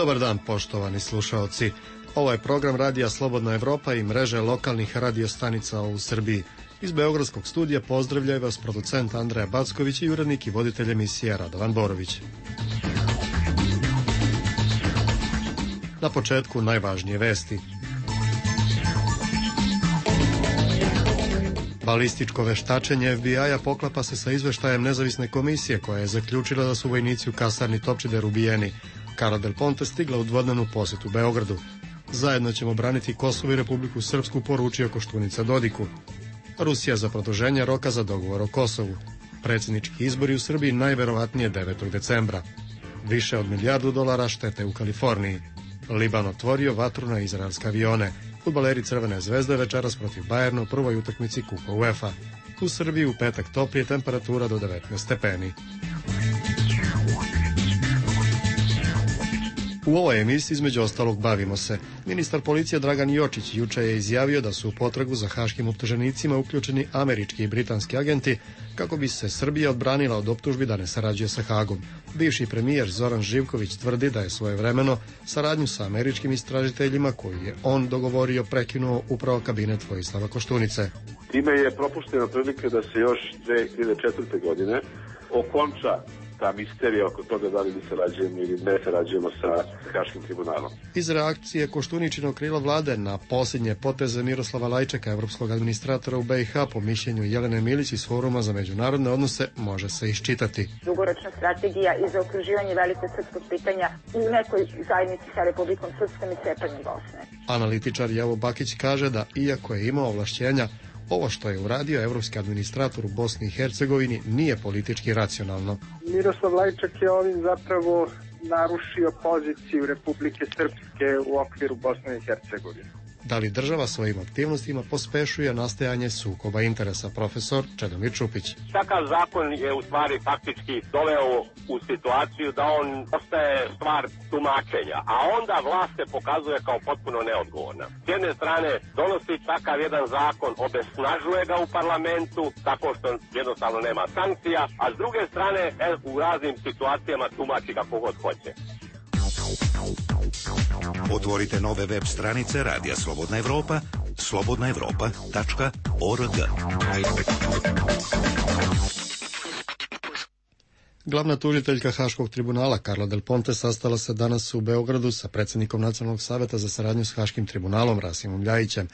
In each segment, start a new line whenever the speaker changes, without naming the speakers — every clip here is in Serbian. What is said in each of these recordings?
Dobar dan, poštovani slušaoci. Ovo je program Radija Slobodna Evropa i mreže lokalnih radiostanica u Srbiji. Iz Beogradskog studija pozdravljaju vas producent Andreja Backović i urednik i voditelj emisije Radovan Borović. Na početku najvažnije vesti. Balističko veštačenje FBI-a poklapa se sa izveštajem nezavisne komisije koja je zaključila da su vojnici u kasarni Topčider ubijeni. Carla Del Ponte stigla u dvodnevnu posetu Beogradu. Zajedno ćemo braniti Kosovo i Republiku Srpsku, poručio Koštunica Dodiku. Rusija za produženje roka za dogovor o Kosovu. Predsjednički izbori u Srbiji najverovatnije 9. decembra. Više od $1 milijardu štete u Kaliforniji. Liban otvorio vatru na izraelske avione. Fudbaleri Crvene zvezde večeras protiv Bajerna u prvoj utakmici Kupa UEFA. U Srbiji u petak toplije, temperatura do 19 stepeni. U ovoj emisiji između ostalog bavimo se. Ministar policije Dragan Jočić juče je izjavio da su u potragu za haškim optuženicima uključeni američki i britanski agenti kako bi se Srbija odbranila od optužbi da ne sarađuje sa Hagom. Bivši premijer Zoran Živković tvrdi da je svojevremeno saradnju sa američkim istražiteljima koju je on dogovorio prekinuo upravo kabinet Vojislava Koštunice.
Time je propuštena prilika da se još 2004. godine okonča ta misterija oko toga da li mi sarađujemo ili ne sarađujemo sa Haškim tribunalom.
Iz reakcije Koštuničinog krila vlade na posljednje poteze Miroslava Lajčeka, evropskog administratora u BiH, po mišljenju Jelene Milić iz Foruma za međunarodne odnose, može se iščitati.
Dugoročna strategija i zaokruživanje velikog srpskog pitanja u nekoj zajednici sa Republikom Srpskom i cepanjem Bosne.
Analitičar Javo Bakić kaže da, iako je imao ovlašćenja, ovo što je uradio evropski administrator u Bosni i Hercegovini nije politički racionalno.
Miroslav Lajčak je ovim zapravo narušio poziciju Republike Srpske u okviru Bosne i Hercegovine.
Da li država svojim aktivnostima pospešuje nastajanje sukoba interesa, profesor Čedomir Čupić?
Takav zakon je u stvari faktički doveo u situaciju da on ostaje stvar tumačenja, a onda vlast se pokazuje kao potpuno neodgovorna. S jedne strane donosi takav jedan zakon, obesnažuje ga u parlamentu tako što jednostavno nema sankcija, a s druge strane u raznim situacijama tumači kako god hoće.
Otvorite nove web stranice Radija Slobodna Evropa, slobodnaevropa.org.
Glavna tužiteljka Haškog tribunala Carla Del Ponte sastala se danas u Beogradu sa predsjednikom Nacionalnog saveta za saradnju s Haškim tribunalom Rasimom Ljajićem.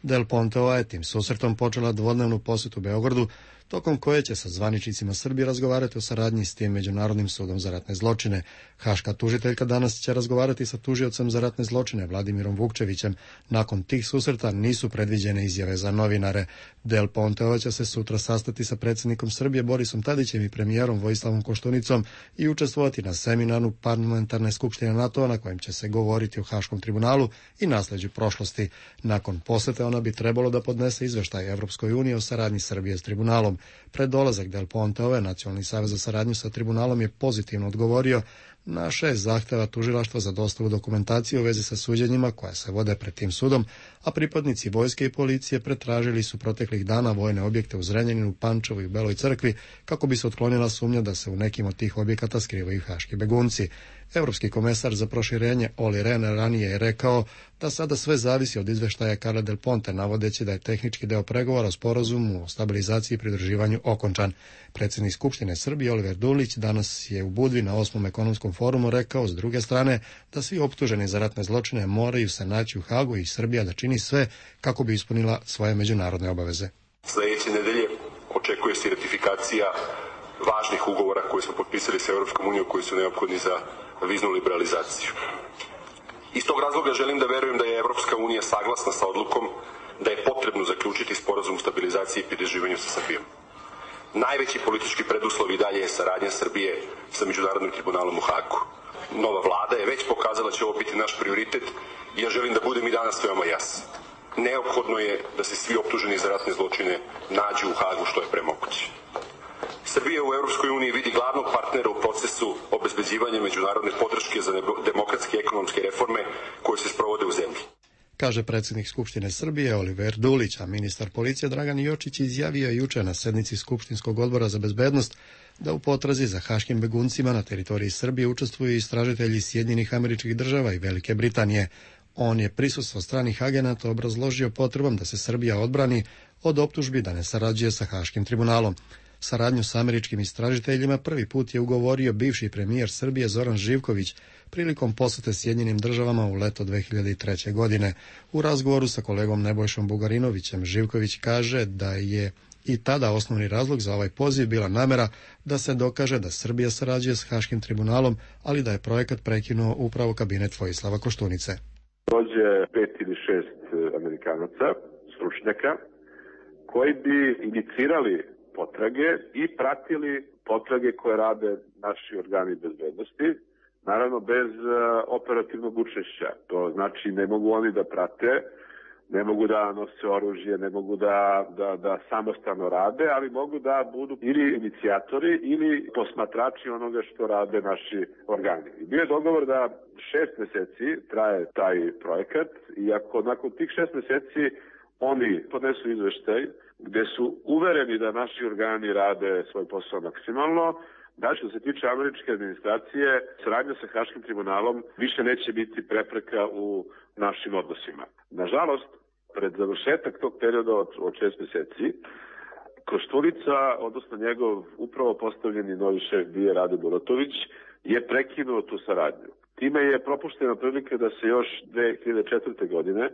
Del Ponteova je tim susretom počela dvodnevnu posetu Beogradu, tokom koje će sa zvaničnicima Srbije razgovarati o saradnji s tim Međunarodnim sudom za ratne zločine. Haška tužiteljka danas će razgovarati sa tužiocem za ratne zločine Vladimirom Vukčevićem. Nakon tih susreta nisu predviđene izjave za novinare. Del Ponteova će se sutra sastati sa predsjednikom Srbije Borisom Tadićem i premijerom Vojislavom Koštunicom i učestvovati na seminaru parlamentarne skupštine NATO na kojem će se govoriti o Haškom tribunalu i nasleđu prošlosti. Nakon posete ona bi trebalo da podnese izveštaj Evropskoj uniji o saradnji Srbije s tribunalom. Pred dolazak Del Ponteove, Nacionalni savez za saradnju sa tribunalom je pozitivno odgovorio na 6 zahteva tužilaštva za dostavu dokumentacije u vezi sa suđenjima koja se vode pred tim sudom, a pripadnici vojske i policije pretražili su proteklih dana vojne objekte u Zrenjaninu, Pančevu i Beloj Crkvi kako bi se otklonila sumnja da se u nekim od tih objekata skrivaju haški begunci. Evropski komesar za proširenje Olli Rehn ranije je rekao da sada sve zavisi od izveštaja Carle Del Ponte, navodeći da je tehnički deo pregovora o sporazumu o stabilizaciji i pridruživanju okončan. Predsjednik Skupštine Srbije Oliver Dulić danas je u Budvi na 8. ekonomskom forumu rekao s druge strane da svi optuženi za ratne zločine moraju se naći u Hagu i Srbija da čini sve kako bi ispunila svoje međunarodne obaveze.
Sljedeće nedelje očekuje se ratifikacija važnih ugovora koje smo potpisali sa Europskom unijom koji su neophodni za viznu liberalizaciju. Iz tog razloga želim da verujem da je Evropska unija saglasna sa odlukom da je potrebno zaključiti sporazum o stabilizaciji i pridruživanju sa Srbijom. Najveći politički preduslov i dalje je saradnja Srbije sa Međunarodnim tribunalom u Hagu. Nova vlada je već pokazala da će ovo biti naš prioritet i ja želim da budem i danas veoma jasan. Neophodno je da se svi optuženi za ratne zločine nađu u Hagu što je pre moguće. Srbija u Evropskoj uniji vidi glavnog partnera u procesu obezbeđivanja međunarodne podrške za demokratske i ekonomske reforme koje se sprovode u zemlji.
kaže predsjednik Skupštine Srbije Oliver Dulić, a ministar policije Dragan Jočić izjavio je juče na sednici Skupštinskog odbora za bezbednost da u potrazi za haškim beguncima na teritoriji Srbije učestvuju istražitelji Sjedinjenih Američkih Država i Velike Britanije. On je prisustvo stranih agenata obrazložio potrebom da se Srbija odbrani od optužbi da ne sarađuje sa Haškim tribunalom. Saradnju s američkim istražiteljima prvi put je ugovorio bivši premijer Srbije Zoran Živković prilikom posete Sjedinjenim Državama u leto 2003. godine. U razgovoru sa kolegom Nebojšom Bugarinovićem Živković kaže da je i tada osnovni razlog za ovaj poziv bila namera da se dokaže da Srbija sarađuje s Haškim tribunalom, ali da je projekat prekinuo upravo kabinet Vojislava Koštunice.
Dođe 5 ili 6 Amerikanaca, stručnjaka, koji bi inicirali potrage i pratili potrage koje rade naši organi bezbednosti, naravno bez operativnog učešća. To znači ne mogu oni da prate, ne mogu da nose oružje, ne mogu da samostalno rade, ali mogu da budu ili inicijatori ili posmatrači onoga što rade naši organi. I bio je dogovor da 6 meseci traje taj projekat i ako nakon tih 6 meseci oni podnesu izveštaj gde su uvereni da naši organi rade svoj posao maksimalno, da što se tiče američke administracije, saradnja sa Haškim tribunalom više neće biti prepreka u našim odnosima. Nažalost, pred završetak tog perioda od 6 meseci, Koštunica, odnosno njegov upravo postavljeni novi šef BIA Rade Bulatović, je prekinuo tu saradnju. Time je propuštena prilika da se još 2004. godine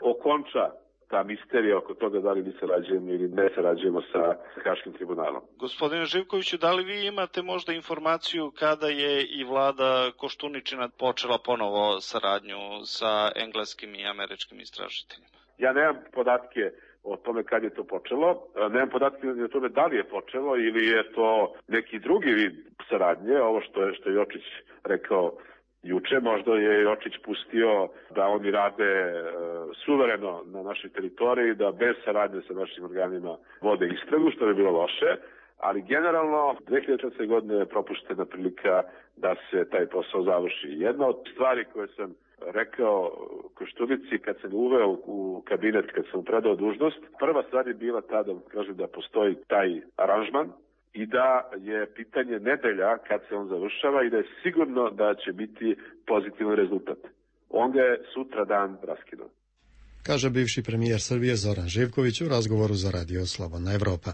okonča ta misterija oko toga da li mi sarađujemo ili ne sarađujemo sa Haškim tribunalom.
Gospodine Živkoviću, da li vi imate možda informaciju kada je i vlada Koštuničina počela ponovo saradnju sa engleskim i američkim istražiteljima?
Ja nemam podatke o tome kad je to počelo, nemam podatke o tome da li je počelo ili je to neki drugi vid saradnje, ovo što je Jočić rekao juče, možda je Jočić pustio da oni rade suvereno na našoj teritoriji, da bez saradnje sa našim organima vode istragu, što bi bilo loše, ali generalno 2004. godine je propuštena prilika da se taj posao završi. Jedna od stvari koje sam rekao Koštunici kad sam uveo u kabinet, kad sam predao dužnost, prva stvar je bila tada, kažem, da postoji taj aranžman i da je pitanje nedelja kad se on završava i da je sigurno da će biti pozitivan rezultat. On ga je sutra dan raskinuo.
Kaže bivši premijer Srbije Zoran Živković u razgovoru za Radio Slobodna Evropa.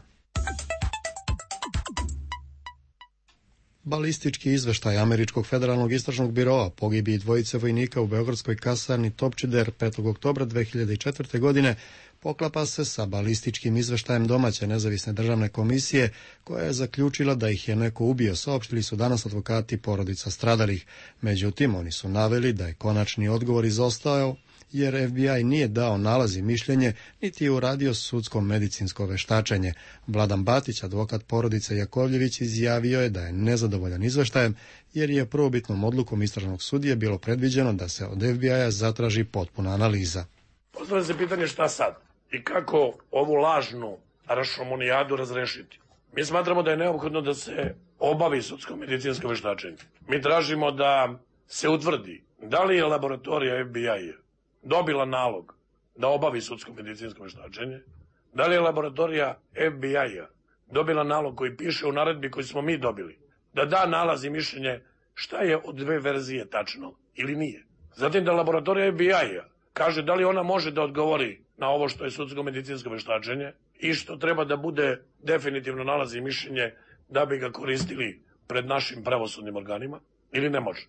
Balistički izveštaj Američkog federalnog istražnog biroa pogibiji dvojice vojnika u beogradskoj kasarni Topčider 5. oktobra 2004. godine poklapa se sa balističkim izveštajem domaće nezavisne državne komisije koja je zaključila da ih je neko ubio, saopštili su danas advokati porodica stradalih. Međutim, oni su naveli da je konačni odgovor izostao jer FBI nije dao nalaz i mišljenje, niti je uradio sudsko medicinsko veštačenje. Vladan Batić, advokat porodice Jakovljević, izjavio je da je nezadovoljan izveštajem, jer je prvobitnom odlukom istražnog sudije bilo predviđeno da se od FBI-a zatraži potpuna analiza.
Postavlja se pitanje šta sad i kako ovu lažnu rašomonijadu razrešiti. Mi smatramo da je neophodno da se obavi sudsko medicinsko veštačenje. Mi tražimo da se utvrdi da li je laboratorija FBI-a dobila nalog da obavi sudsko medicinsko veštačenje, da li je laboratorija FBI-a dobila nalog koji piše u naredbi koji smo mi dobili, da da nalaz i mišljenje šta je od dve verzije tačno ili nije. Zatim da laboratorija FBI-a kaže da li ona može da odgovori na ovo što je sudsko medicinsko veštačenje i što treba da bude definitivno nalaz i mišljenje da bi ga koristili pred našim pravosudnim organima ili ne može.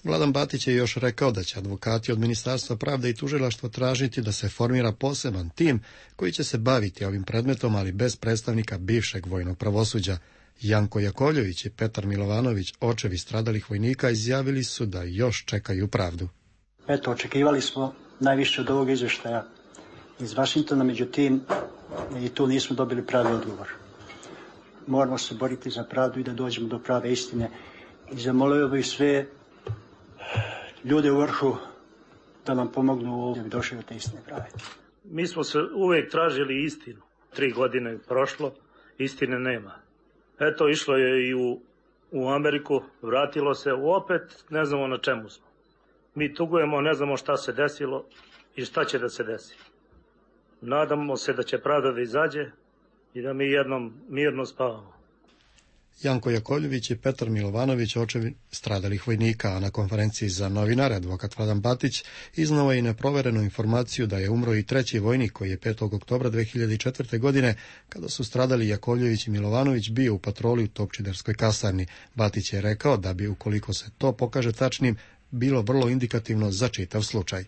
Vladan Batić je još rekao da će advokati od Ministarstva pravde i tužilaštva tražiti da se formira poseban tim koji će se baviti ovim predmetom, ali bez predstavnika bivšeg vojnog pravosuđa. Janko Jakovljević i Petar Milovanović, očevi stradalih vojnika, izjavili su da još čekaju pravdu.
Eto, očekivali smo najviše od ovog izveštaja iz Vašingtona, međutim i tu nismo dobili pravi odgovor. Moramo se boriti za pravdu i da dođemo do prave istine. I zamolio bih sve ljude u vrhu da nam pomognu da bi došli do te istine prave.
Mi smo se uvek tražili istinu. 3 godine prošlo, istine nema. Eto, išlo je i u Ameriku, vratilo se, opet ne znamo na čemu smo. Mi tugujemo, ne znamo šta se desilo, i šta će da se desi. Nadamo se da će pravda da izađe i da mi jednom mirno spavamo.
Janko Jakovljević i Petar Milovanović, očevi stradalih vojnika, a na konferenciji za novinare advokat Vladan Batić iznao je i neproverenu informaciju da je umro i treći vojnik koji je 5. oktobra 2004. godine, kada su stradali Jakovljević i Milovanović, bio u patroli u Topčiderskoj kasarni. Batić je rekao da bi, ukoliko se to pokaže tačnim, bilo vrlo indikativno za čitav slučaj.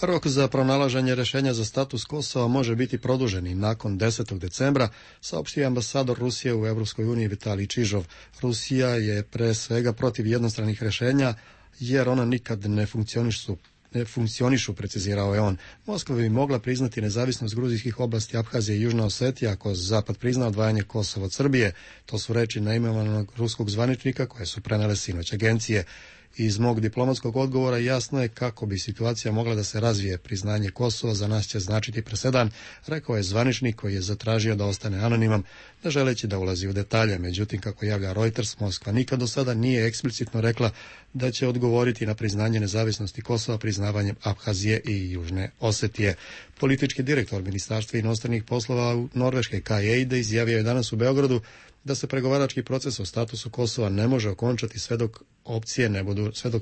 Rok za pronalaženje rešenja za status Kosova može biti produžen i nakon 10. decembra, saopštio ambasador Rusije u Evropskoj uniji Vitalij Čižov. Rusija je pre svega protiv jednostranih rešenja, jer ona nikad ne funkcionišu, precizirao je on. Moskva bi mogla priznati nezavisnost gruzijskih oblasti Abhazije i Južna Osetija ako Zapad prizna odvajanje Kosova od Srbije. To su reči neimenovanog ruskog zvaničnika koje su prenele sinoć agencije. Iz mog diplomatskog odgovora jasno je kako bi situacija mogla da se razvije. Priznanje Kosova za nas će značiti presedan, rekao je zvaničnik koji je zatražio da ostane anoniman, ne želeći da ulazi u detalje. Međutim, kako javlja Reuters, Moskva nikad do sada nije eksplicitno rekla da će odgovoriti na priznanje nezavisnosti Kosova priznavanjem Abhazije i Južne Osetije. Politički direktor Ministarstva inostranih poslova Norveške Kai Eide izjavio je danas u Beogradu da se pregovarački proces o statusu Kosova ne može okončati sve dok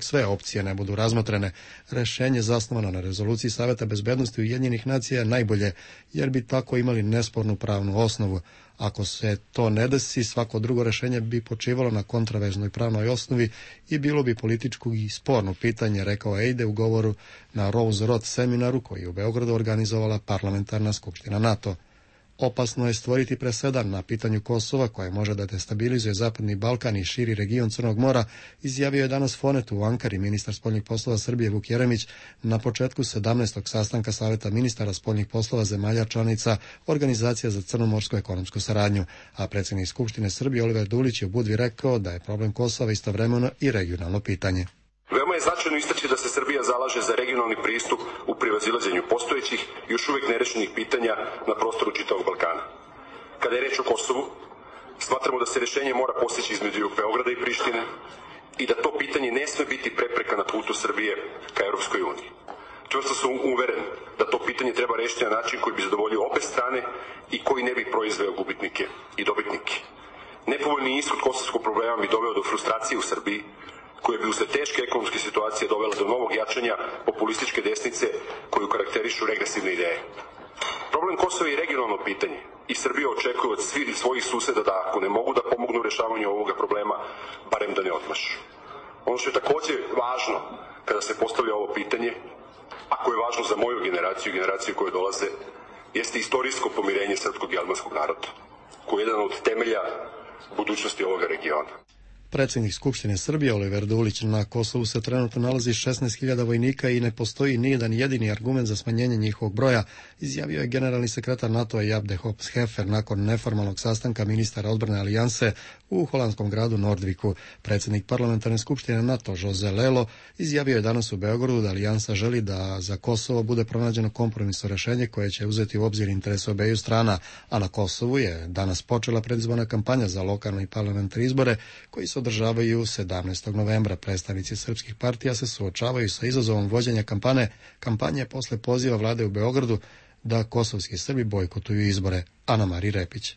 sve opcije ne budu razmotrene. Rešenje zasnovano na rezoluciji Saveta bezbednosti Ujedinjenih nacija je najbolje, jer bi tako imali nespornu pravnu osnovu. Ako se to ne desi, svako drugo rešenje bi počivalo na kontraverznoj pravnoj osnovi i bilo bi političko i sporno pitanje, rekao Eide u govoru na Rose Road seminaru koji je u Beogradu organizovala parlamentarna skupština NATO. Opasno je stvoriti presedan na pitanju Kosova koje može da destabilizuje Zapadni Balkan i širi region Crnog mora, izjavio je danas Fonetu u Ankari ministar spoljnih poslova Srbije Vuk Jeremić na početku 17. sastanka Saveta ministara spoljnih poslova zemalja članica Organizacija za crnomorsku ekonomsku saradnju, a predsjednik Skupštine Srbije Oliver Dulić je u Budvi rekao da je problem Kosova istovremeno i regionalno pitanje.
Veoma je značajno istaći da se Srbija zalaže za regionalni pristup u prevazilaženju postojećih i još uvijek nerešenih pitanja na prostoru čitavog Balkana. Kada je reč o Kosovu, smatramo da se rešenje mora postići između Beograda i Prištine i da to pitanje ne sme biti prepreka na putu Srbije ka Europskoj uniji. Čvrsto sam uveren da to pitanje treba rešiti na način koji bi zadovoljio obe strane i koji ne bi proizveo gubitnike i dobitnike. Nepovoljni ishod kosovskog problema bi doveo do frustracije u Srbiji, koje bi usled teške ekonomske situacije dovela do novog jačanja populističke desnice koju karakterišu regresivne ideje. Problem Kosova je regionalno pitanje i Srbija očekuje od svojih suseda da ako ne mogu da pomognu u rešavanju ovoga problema, barem da ne odmašu. Ono što je također važno kada se postavlja ovo pitanje, a koje je važno za moju generaciju i generaciju koje dolaze, jeste istorijsko pomirenje srpskog i albanskog naroda, koji je jedan od temelja budućnosti ovoga regiona.
Predsjednik Skupštine Srbije Oliver Dulić, na Kosovu se trenutno nalazi 16.000 vojnika i ne postoji nijedan jedini argument za smanjenje njihovog broja, izjavio je generalni sekretar NATO-a Jaap de Hoop Scheffer nakon neformalnog sastanka ministara odbrane alijanse u holandskom gradu Nordviku. Predsjednik parlamentarne skupštine NATO Jose Lelo izjavio je danas u Beogradu da alijansa želi da za Kosovo bude pronađeno kompromisno rešenje koje će uzeti u obzir interese obeju strana, a na Kosovu je danas počela predizborna kampanja za lokalne i parlamentarne izbore koji se održavaju 17. novembra. Predstavnici srpskih partija se suočavaju sa izazovom vođenja kampanje posle poziva vlade u Beogradu da kosovski Srbi bojkotuju izbore. Ana Mari Repić.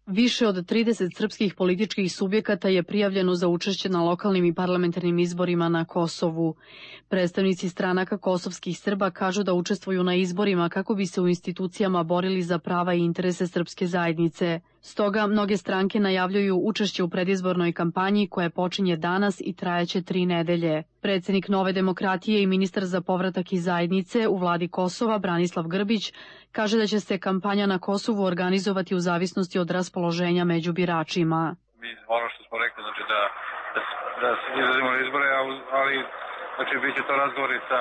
Više od 30 srpskih političkih subjekata je prijavljeno za učešće na lokalnim i parlamentarnim izborima na Kosovu. Predstavnici stranaka kosovskih Srba kažu da učestvuju na izborima kako bi se u institucijama borili za prava i interese srpske zajednice. Stoga, mnoge stranke najavljuju učešće u predizbornoj kampanji koja počinje danas i trajaće 3 nedelje. Predsjednik Nove demokratije i ministar za povratak iz zajednice u vladi Kosova, Branislav Grbić, kaže da će se kampanja na Kosovu organizovati u zavisnosti od raspoloženja među biračima.
Mi ono što smo rekli, znači da se izrazimo na izbore, ali znači bit će to razgovori sa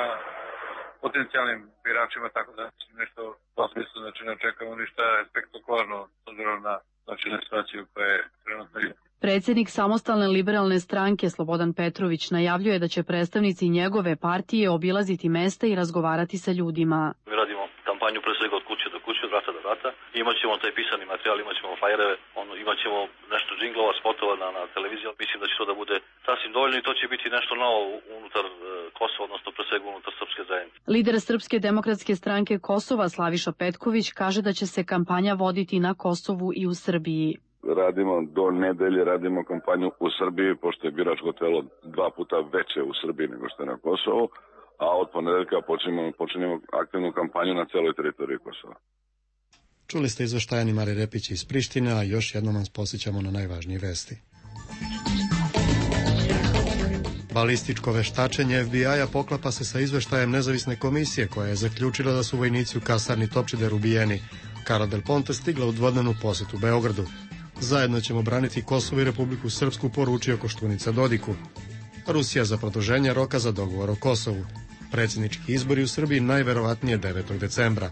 potencijalnim biračima, tako da nešto u tom smislu, znači ne očekamo ništa spektakularno s obzirom na situaciju koja je trenutno.
Predsjednik Samostalne liberalne stranke Slobodan Petrović najavljuje da će predstavnici njegove partije obilaziti mesta i razgovarati sa ljudima.
Mi radimo kampanju pre svega od kuće do kuće, od vrata do vrata. Imaćemo taj pisani materijal, imaćemo flajereve, imaćemo nešto džinglova, spotova na televiziji. Mislim da će to da bude sasvim dovoljno i to će biti nešto novo unutar Kosova, odnosno pre svega unutar srpske zajednice.
Lider Srpske demokratske stranke Kosova Slaviša Petković kaže da će se kampanja voditi na Kosovu i u Srbiji.
Radimo do nedelje, radimo kampanju u Srbiji, pošto je biračko telo 2 puta veće u Srbiji nego što je na Kosovu, a od ponedeljka počinjemo aktivnu kampanju na celoj teritoriji Kosova.
Čuli ste izveštaje Mare Repić iz Prištine, a još jednom vas posjećamo na najvažnije vesti. Balističko veštačenje FBI-a poklapa se sa izveštajem nezavisne komisije koja je zaključila da su vojnici u kasarni Topčider ubijeni. Carla Del Ponte stigla u dvodnevnu posetu Beogradu. Zajedno ćemo braniti Kosovo i Republiku Srpsku, poručio Koštunica Dodiku. Rusija za produženje roka za dogovor o Kosovu. Predsjednički izbori u Srbiji najverovatnije 9. decembra.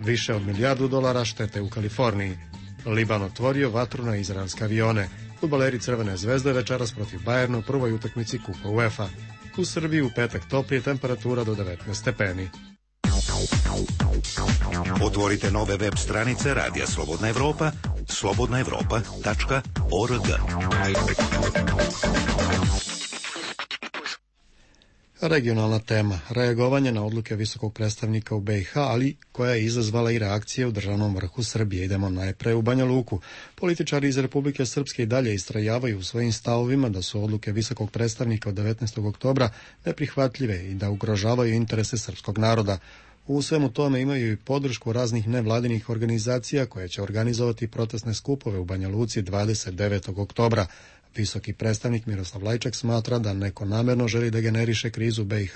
Više od $1 milijardu štete u Kaliforniji. Liban otvorio vatru na izraelske avione. Fudbaleri Crvene zvezde večeras protiv Bajerna u prvoj utakmici Kupa UEFA. U Srbiji u petak toplije, temperatura do 19 stepeni.
Otvorite nove web stranice Radija Slobodna Evropa, slobodnaevropa.org.
Regionalna tema. Reagovanje na odluke visokog predstavnika u BiH, ali koja je izazvala i reakcije u državnom vrhu Srbije. Idemo najpre u Banja Luku. Političari iz Republike Srpske i dalje istrajavaju u svojim stavovima da su odluke visokog predstavnika od 19. oktobra neprihvatljive i da ugrožavaju interese srpskog naroda. U svemu tome imaju i podršku raznih nevladinih organizacija koje će organizovati protestne skupove u Banja Luci 29. oktobra. Visoki predstavnik Miroslav Lajčak smatra da neko namerno želi da generiše krizu BiH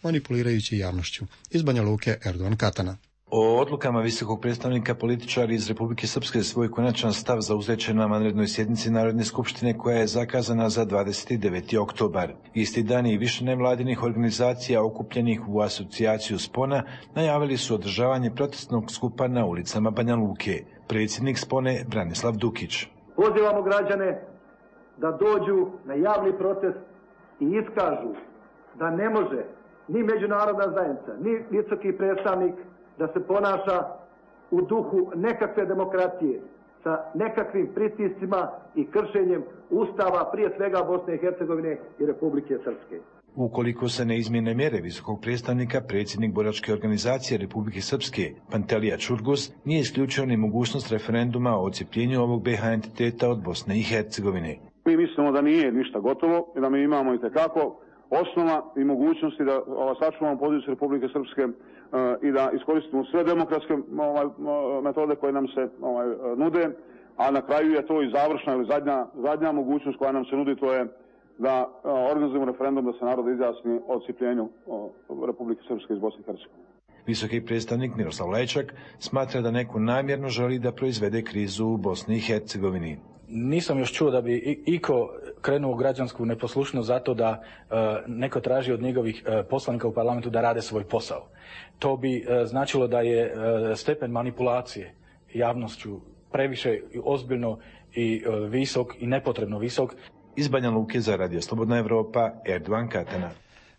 manipulirajući javnošću. Iz Banja Luke Erdogan Katana.
O odlukama visokog predstavnika političari iz Republike Srpske svoj konačan stav zauzeće na vanrednoj sjednici Narodne skupštine koja je zakazana za 29. oktobar. Isti dan i više nevladinih organizacija okupljenih u asocijaciju Spona najavili su održavanje protestnog skupa na ulicama Banja Luke. Predsjednik Spone Branislav Dukić.
Pozivamo građane da dođu na javni protest i iskažu da ne može ni međunarodna zajednica, ni visoki predstavnik da se ponaša u duhu nekakve demokratije, sa nekakvim pritiscima i kršenjem Ustava, prije svega Bosne i Hercegovine i Republike Srpske.
Ukoliko se ne izmjene mjere visokog predstavnika, predsjednik boračke organizacije Republike Srpske, Pantelija Čurgos, nije isključio ni mogućnost referenduma o odcijepljenju ovog BiH entiteta od Bosne i Hercegovine.
Mi mislimo da nije ništa gotovo i da mi imamo itekako osnova i mogućnosti da sačuvamo poziciju Republike Srpske i da iskoristimo sve demokratske metode koje nam se nude, a na kraju je to i završna ili zadnja mogućnost koja nam se nudi, to je da organizujemo referendum da se narod izjasni o odcijepljenju Republike Srpske iz Bosne i Hercegovine.
Visoki predstavnik Miroslav Lajčak smatra da neko namjerno želi da proizvede krizu u Bosni i Hercegovini.
Nisam još čuo da bi iko krenuo u građansku neposlušnost zato da neko traži od njegovih poslanika u parlamentu da rade svoj posao. To bi značilo da je stepen manipulacije javnošću previše ozbiljno i visok i nepotrebno visok.
Iz Banja Luke za Radio Slobodna Evropa, Erdogan Katana.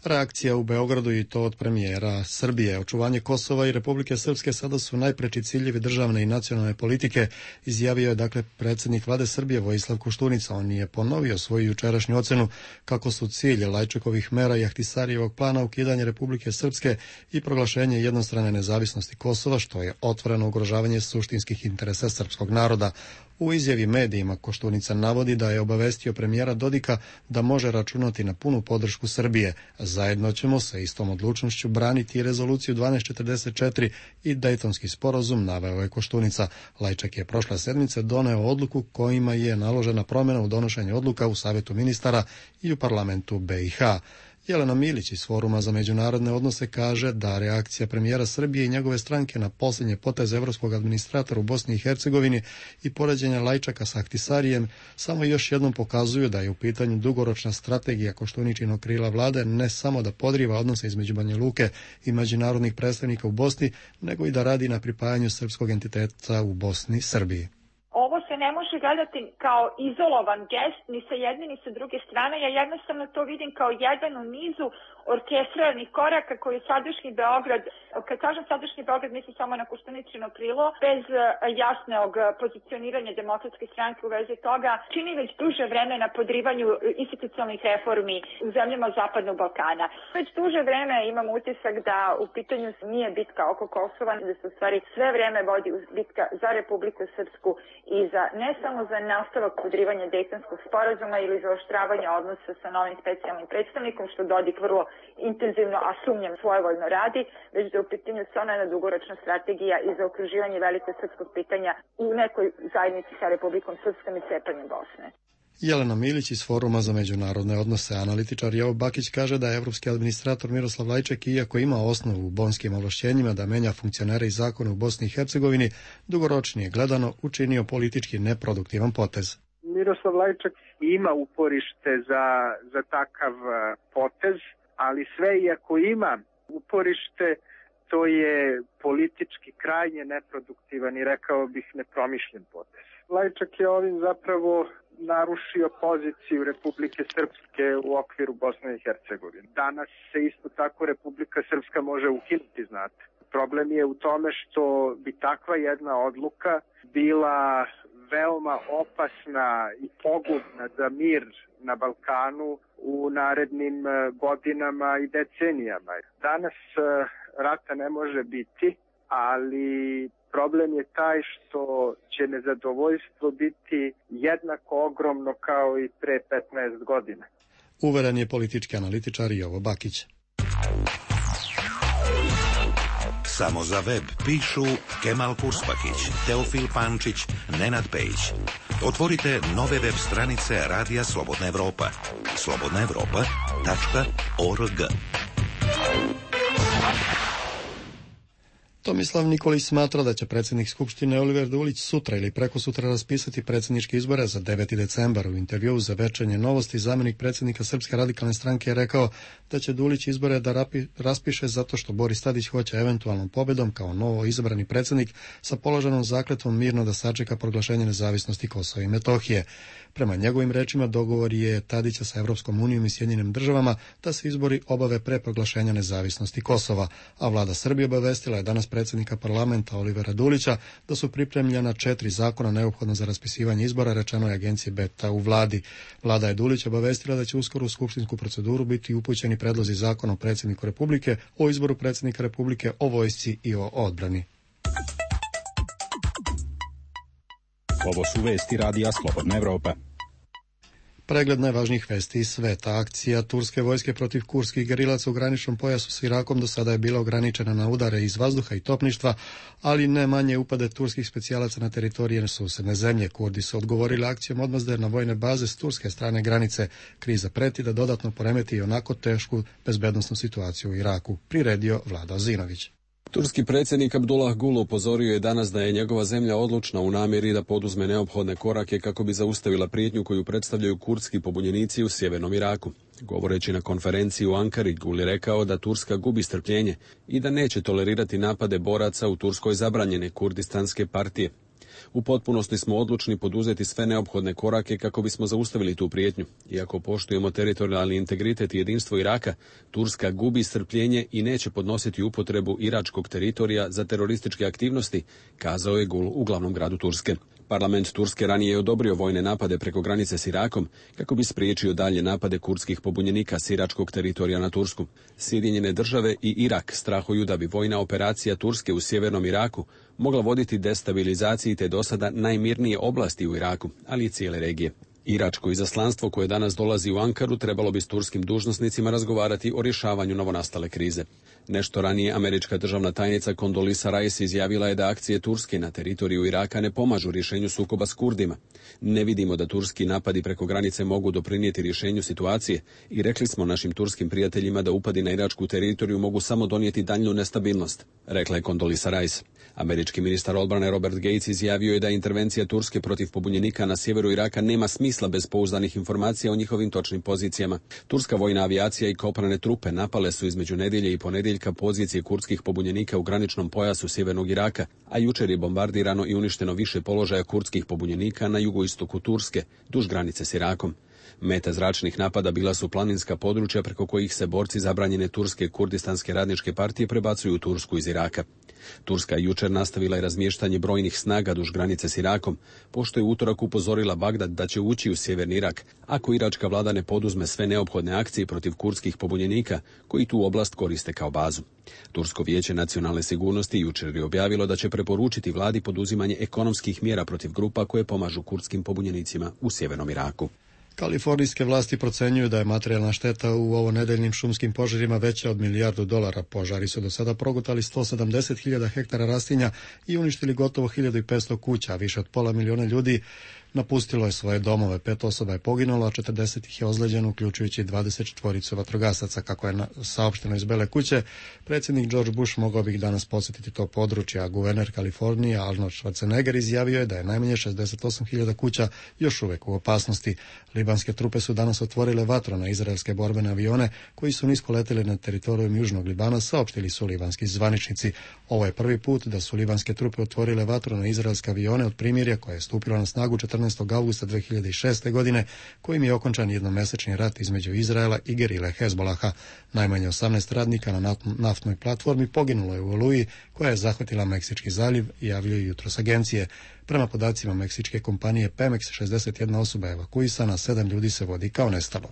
Reakcija u Beogradu i to od premijera Srbije. Očuvanje Kosova i Republike Srpske sada su najpreči ciljevi državne i nacionalne politike, izjavio je dakle predsjednik vlade Srbije Vojislav Koštunica. On je ponovio svoju jučerašnju ocenu kako su cilje Lajčekovih mera i Ahtisarijevog plana ukidanje Republike Srpske i proglašenje jednostrane nezavisnosti Kosova, što je otvoreno ugrožavanje suštinskih interesa srpskog naroda. U izjavi medijima Koštunica navodi da je obavestio premijera Dodika da može računati na punu podršku Srbije. Zajedno ćemo sa istom odlučnošću braniti rezoluciju 1244 i Dejtonski sporazum, naveo je Koštunica. Lajčak je prošle sedmice doneo odluku kojima je naložena promjena u donošenju odluka u Savjetu ministara i u parlamentu BiH. Jelena Milić iz Foruma za međunarodne odnose kaže da reakcija premijera Srbije i njegove stranke na posljednje poteze evropskog administratora u Bosni i Hercegovini i poređenja Lajčaka sa Ahtisarijem samo još jednom pokazuju da je u pitanju dugoročna strategija Koštuničinog krila vlade ne samo da podriva odnose između Banja Luke i međunarodnih predstavnika u Bosni, nego i da radi na pripajanju srpskog entiteta u Bosni Srbiji.
Ovo se ne može gledati kao izolovan gest ni sa jedne ni sa druge strane. Ja jednostavno to vidim kao jedan u nizu orkestriranih koraka koji sadašnji Beograd, kad kažem sadašnji Beograd, mislim samo na Koštuničino krilo, bez jasnog pozicioniranja Demokratske stranke u vezi toga, čini već duže vreme na podrivanju institucionalnih reformi u zemljama Zapadnog Balkana. Već duže vreme imam utisak da u pitanju nije bitka oko Kosova, da se u stvari sve vreme vodi bitka za Republiku Srpsku i za, ne samo za nastavak podrivanja Dejtonskog sporazuma ili za oštravanje odnosa sa novim specijalnim predstavnikom, što Dodik vrlo intenzivno, a sumnjam svojevoljno radi, već da u pitanju stvarno jedna dugoročna strategija i za okruživanje velikog srpskog pitanja u nekoj zajednici sa Republikom Srpskom i cepanjem Bosne.
Jelena Milić iz Foruma za međunarodne odnose. Analitičar Jovo Bakić kaže da je evropski administrator Miroslav Lajček, iako ima osnovu u bonskim ovlašćenjima da menja funkcionere i zakone u Bosni i Hercegovini, dugoročnije gledano učinio politički neproduktivan potez.
Miroslav Lajček ima uporište za takav potez, ali sve iako ima uporište, to je politički krajnje neproduktivan i rekao bih nepromišljen potez. Lajčak je ovim zapravo narušio poziciju Republike Srpske u okviru Bosne i Hercegovine. Danas se isto tako Republika Srpska može ukinuti, znate. Problem je u tome što bi takva jedna odluka bila veoma opasna i pogubna za mir na Balkanu u narednim godinama i decenijama. Danas rata ne može biti, ali problem je taj što će nezadovoljstvo biti jednako ogromno kao i pre 15 godina.
Uveren je politički analitičar Jovo Bakić.
Samo za web pišu Kemal Kurspakić, Teofil Pančić, Nenad Pejić. Otvorite nove web stranice Radija Slobodna Evropa. slobodnaevropa.org.
Tomislav Nikolić smatra da će predsjednik Skupštine Oliver Dulić sutra ili prekosutra raspisati predsjedničke izbore za 9. decembar. U intervjuu za Večernje novosti zamjenik predsjednika Srpske radikalne stranke je rekao da će Dulić izbore da raspiše zato što Boris Tadić hoće eventualnom pobjedom kao novo izabrani predsjednik sa položenom zakletvom mirno da sačeka proglašenje nezavisnosti Kosova i Metohije. Prema njegovim rečima dogovor je Tadića sa Evropskom unijom i Sjedinjenim državama da se izbori obave pre proglašenja nezavisnosti Kosova, a vlada Srbije obavestila je danas predsjednika parlamenta Olivera Dulića da su pripremljena 4 zakona neophodna za raspisivanje izbora, rečeno je agenciji Beta u vladi. Vlada je Dulić obavestila da će uskoro u skupštinsku proceduru biti upućeni predlozi zakona o predsjedniku Republike, o izboru predsjednika Republike, o vojsci i o odbrani.
Ovo su vesti Radija Slobodna Evropa.
Pregled najvažnijih vesti iz sveta. Akcija turske vojske protiv kurskih gerilaca u graničnom pojasu s Irakom do sada je bila ograničena na udare iz vazduha i topništva, ali ne manje upade turskih specijalaca na teritorije susedne zemlje. Kurdi su odgovorili akcijom odmazde na vojne baze s turske strane granice. Kriza preti da dodatno poremeti i onako tešku bezbednosnu situaciju u Iraku, priredio Vlado Zinović.
Turski predsjednik Abdullah Gul upozorio je danas da je njegova zemlja odlučna u namjeri da poduzme neophodne korake kako bi zaustavila prijetnju koju predstavljaju kurdski pobunjenici u sjevernom Iraku. Govoreći na konferenciji u Ankari, Gul je rekao da Turska gubi strpljenje i da neće tolerirati napade boraca u Turskoj zabranjene kurdistanske partije. U potpunosti smo odlučni poduzeti sve neophodne korake kako bismo zaustavili tu prijetnju. Iako poštujemo teritorijalni integritet i jedinstvo Iraka, Turska gubi strpljenje i neće podnositi upotrebu iračkog teritorija za terorističke aktivnosti, kazao je Gul u glavnom gradu Turske. Parlament Turske ranije je odobrio vojne napade preko granice s Irakom kako bi spriječio dalje napade kurdskih pobunjenika s iračkog teritorija na Tursku. Sjedinjene države i Irak strahuju da bi vojna operacija Turske u sjevernom Iraku mogla voditi destabilizaciji te dosada najmirnije oblasti u Iraku, ali i cijele regije. Iračko izaslanstvo koje danas dolazi u Ankaru trebalo bi s turskim dužnosnicima razgovarati o rješavanju novonastale krize. Nešto ranije američka državna tajnica Condoleezza Rice izjavila je da akcije Turske na teritoriju Iraka ne pomažu rješenju sukoba s Kurdima. Ne vidimo da turski napadi preko granice mogu doprinijeti rješenju situacije i rekli smo našim turskim prijateljima da upadi na iračku teritoriju mogu samo donijeti daljnju nestabilnost, rekla je Condoleezza Rice. Američki ministar odbrane Robert Gates izjavio je da intervencija Turske protiv pobunjenika na sjeveru Iraka nema smisla bez pouzdanih informacija o njihovim točnim pozicijama. Turska vojna avijacija i kopnene trupe napale su između nedjelje i ponedjeljka pozicije kurdskih pobunjenika u graničnom pojasu sjevernog Iraka, a jučer je bombardirano i uništeno više položaja kurdskih pobunjenika na jugoistoku Turske, duž granice s Irakom. Meta zračnih napada bila su planinska područja preko kojih se borci zabranjene turske kurdistanske radničke partije prebacuju u Tursku iz Iraka. Turska je jučer nastavila i razmještanje brojnih snaga duž granice s Irakom, pošto je utorak upozorila Bagdad da će ući u sjeverni Irak, ako iračka vlada ne poduzme sve neophodne akcije protiv kurdskih pobunjenika koji tu oblast koriste kao bazu. Tursko vijeće nacionalne sigurnosti jučer je objavilo da će preporučiti vladi poduzimanje ekonomskih mjera protiv grupa koje pomažu kurdskim pobunjenicima u sjevernom Iraku.
Kalifornijske vlasti procenjuju da je materijalna šteta u ovonedeljnim šumskim požarima veća od $1 milijardu. Požari su do sada progutali 170.000 hektara rastinja i uništili gotovo 1500 kuća, a više od 500.000 ljudi napustilo je svoje domove. 5 osoba je poginulo, a 40 ih je ozlijeđeno, uključujući 24 vatrogasaca. Kako je saopšteno iz Bele kuće, predsjednik George Bush mogao bi danas posjetiti to područje, a guverner Kalifornije Arnold Schwarzenegger izjavio je da je najmanje 68.000 kuća još uvijek u opasnosti. Libanske trupe su danas otvorile vatru na izraelske borbene avione koji su nisko letjeli na teritorijum Južnog Libana, saopštili su libanski zvaničnici. Ovo je prvi put da su libanske trupe otvorile vatru na izraelske avione od primirja koje je stupilo na snagu 14. augusta 2006. godine, kojim je okončan jednomesečni rat između Izraela i gerile Hezbolaha. Najmanje 18 radnika na naftnoj platformi poginulo je u oluji koja je zahvatila Meksički zaliv, javljaju jutros agencije. Prema podacima meksičke kompanije Pemex, 61 osoba je evakuisana, 7 ljudi se vodi kao nestalo.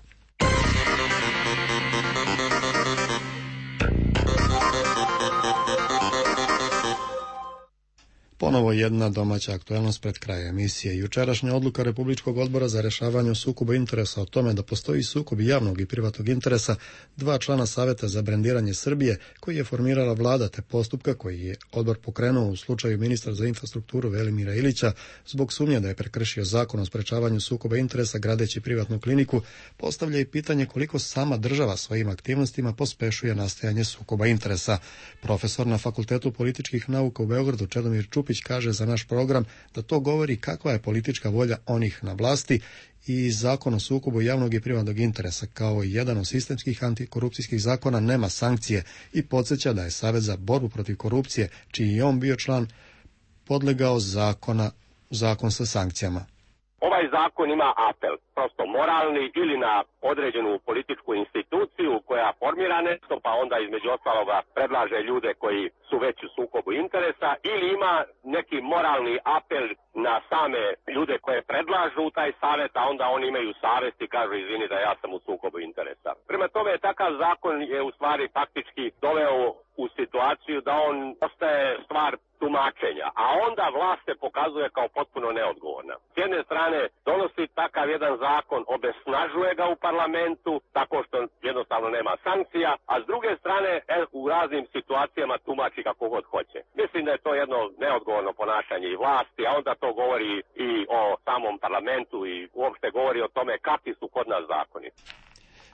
Ponovo jedna domaća aktuelnost pred kraj emisije. Jučerašnja odluka Republičkog odbora za rješavanje sukoba interesa o tome da postoji sukob javnog i privatnog interesa 2 člana Saveta za brendiranje Srbije koji je formirala vlada, te postupka koji je odbor pokrenuo u slučaju ministra za infrastrukturu Velimira Ilića zbog sumnje da je prekršio zakon o sprečavanju sukoba interesa gradeći privatnu kliniku, postavlja i pitanje koliko sama država svojim aktivnostima pospešuje nastajanje sukoba interesa. Profesor na Fakultetu političkih nauka u Beogradu Čedomir Čupić kaže za naš program da to govori kakva je politička volja onih na vlasti i zakon o sukobu javnog i privatnog interesa kao jedan od sistemskih antikorupcijskih zakona nema sankcije i podsjeća da je Savez za borbu protiv korupcije, čiji je on bio član, podlegao zakon sa sankcijama.
Ovaj zakon ima apel, prosto moralni, ili na određenu političku instituciju koja formira nešto, pa onda između ostaloga predlaže ljude koji su već u sukobu interesa, ili ima neki moralni apel na same ljude koje predlažu u taj savjet, a onda oni imaju savjest i kažu izvini da ja sam u sukobu interesa. Prema tome, takav zakon je u stvari faktički doveo u situaciju da on ostaje stvar tumačenja, a onda vlast se pokazuje kao potpuno neodgovorna. S jedne strane donosi takav jedan zakon, obesnažuje ga u parlamentu tako što jednostavno nema sankcija, a s druge strane u raznim situacijama tumači kako god hoće. Mislim da je to jedno neodgovorno ponašanje i vlasti, a onda to govori i o samom parlamentu i uopšte govori o tome kakvi su kod nas zakoni.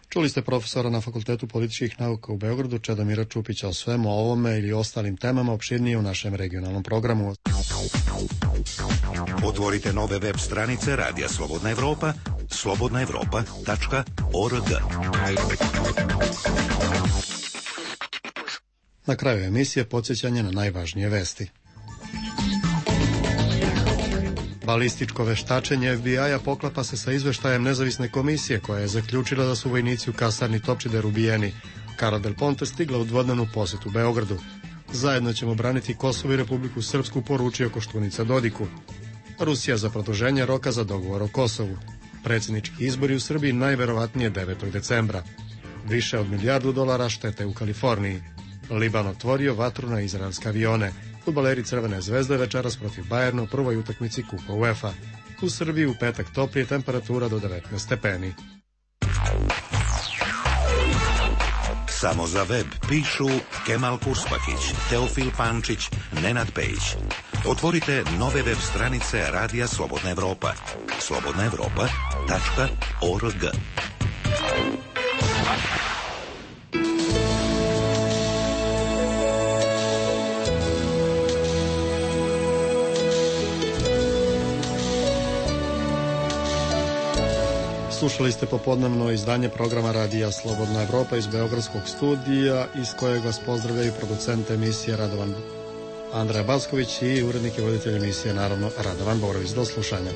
Čuli ste profesora na Fakultetu političkih nauka u Beogradu Čedomira Čupića. O svemu ovome ili ostalim temama opširnije u našem regionalnom programu.
Otvorite nove web stranice Radija Slobodna Evropa, slobodnaevropa.org.
Na kraju emisije podsjećanje na najvažnije vesti. Balističko veštačenje FBI-a poklapa se sa izveštajem nezavisne komisije koja je zaključila da su vojnici u kasarni Topčider ubijeni. Carla Del Ponte stigla u dvodnevnu posjetu Beogradu. Zajedno ćemo braniti Kosovo i Republiku Srpsku, poručio Koštunica Dodiku. Rusija za produženje roka za dogovor o Kosovu. Predsjednički izbori u Srbiji najverovatnije 9. decembra. Više od $1 milijardu štete u Kaliforniji. Liban otvorio vatru na izraelske avione. Fudbaleri Crvene zvezde večeras protiv Bajerna u prvoj utakmici Kupa UEFA. U Srbiji u petak toplije, temperatura do 19 stepeni.
Samo za web pišu Kemal Kurspakić, Teofil Pančić, Nenad Pejić. Otvorite nove web stranice Radija Slobodna Evropa. slobodnaevropa.org.
Slušali ste popodnevno izdanje programa Radija Slobodna Evropa iz Beogradskog studija, iz kojeg vas pozdravljaju producent emisije Andreja Basković i urednik i voditelj emisije, naravno, Radovan Borović. Do slušanja.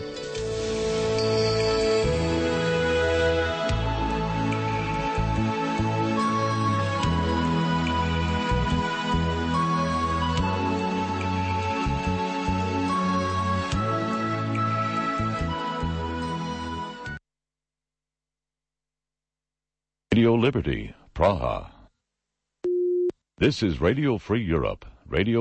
Radio Liberty, Praha. This is Radio Free Europe, Radio